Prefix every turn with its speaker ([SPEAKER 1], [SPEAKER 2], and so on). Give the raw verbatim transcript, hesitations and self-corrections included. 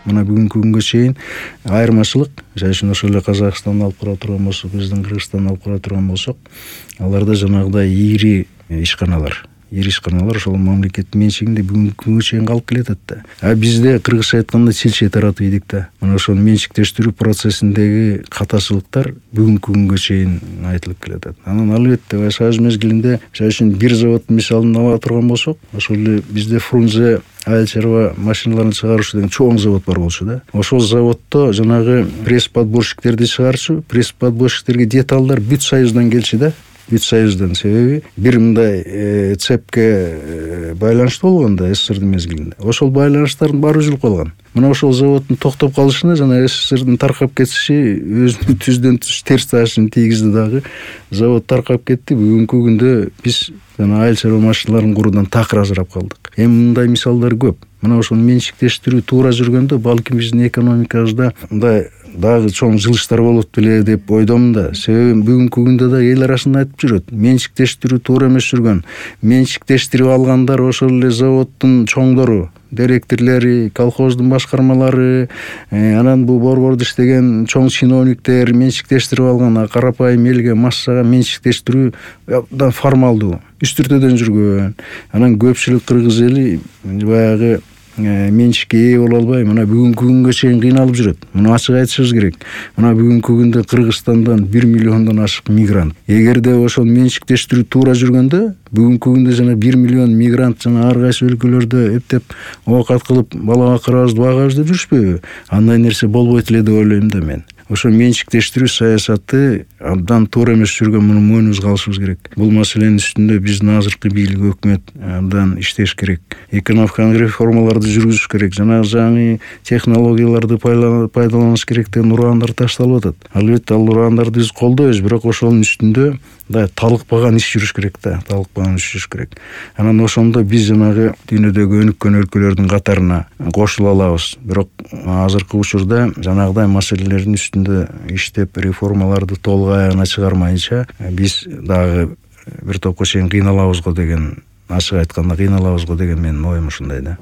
[SPEAKER 1] мына бүгүнкү күнгө чейин айырмачылык, жай үчүн ошол эле Казакстанды алып кара турган болсок, биздин Кыргызстанды алып кара турган болсок, аларда жанагыдай ири ишканалар ири ишканалар ошол мамлекеттин менчигинде бүгүнкү күнгө чейин калып келатат да. А бизде кыргызча айтканда чилчей таратып ийдик да. Мына ошол менчиктештирүү процессиндеги катачылыктар бүгүнкү күнгө чейин айтылып келатат. Анан албетте Союз мезгилинде жай үчүн бир заводдун мисалын ала турган болсок, ошол эле бизде Фрунзе айыл чарба машиналарын чыгаруучу деген чоң завод бар болчу да. Ошол заводдо жанагы пресс-подборщиктерди чыгарчу, пресс-подборщиктерге деталдар бүт Союздан келчү да. Бүт Союздан, себеби бир мындай э, цепке э, байланыштуу болгон да СССРдин мезгилинде. Ошол байланыштардын баары үзүлүп калган. Мына ошол заводдун токтоп калышына жана СССРдин таркап кетиши өзүнүн түздөн түз терс таасирин тийгизди дагы. Завод таркап кетти. Бүгүнкү күндө биз жана айыл чарба машиналарын куруудан такыр ажырап калдык. Эми мындай мисалдар көп. Мына ошол менчиктештирүү туура жүргөндө балким биздин экономикабызда мындай дагы чоң жылыштар болот беле деп ойдомун да. Себеби бүгүнкү күндө да эл арасында айтып жүрөт. Менчиктештирүү туура эмес жүргөн. Менчиктештирип алгандар ошол эле заводдун чоңдору, директорлори, колхоздун башкармалары, э, анан бул борбордо иштеген чоң чиновниктер менчиктештирип алган. А карапайым элге, массага менчиктештирүү абдан формалдуу, үстүртөдөн жүргөн. Анан көпчүлүк кыргыз эли баягы менчикке ээ боло албай мына бүгүнкү күнгө чейин кыйналып жүрөт. Муну ачык айтышыбыз керек. Мына бүгүнкү күндө Кыргызстандан бир миллиондон ашык мигрант. Эгерде ошол менчиктештирүү туура жүргөндө, бүгүнкү күндө жана бир миллион мигрант жана ар кайсы өлкөлөрдө эптеп оокат кылып бала бакырабызды багабыз деп жүрүшпөйбү? Андай нерсе болбойт эле деп ойлойм да мен. Ошо менчиктештирүү саясаты абдан туура эмес жүргөн, муну мойнубузга алышыбыз керек. Бул маселенин үстүндө биздин азыркы бийлик, өкмөт абдан иштеш керек. Экономикалык реформаларды жүргүзүш керек. Жана жаңы технологияларды пайдаланыш керек деген ураандар ташталып атат. Албетте ал ураандарды биз колдойбуз, бирок ошонун үстүндө да талыкпаган иш жүрүш керек да, талыкпаган иш жүрүш керек. Анан ошондо биз жанагы дүйнөдөгү өнүккөн өлкөлөрдүн катарына кошула алабыз. Бирок азыркы учурда жанагыдай маселелердин үстүндө иштеп, реформаларды толук аягына чыгармайынча биз дагы бир топко чейин кыйналабызго деген, ачык айтканда кыйналабызго деген менин оюм ушундай да.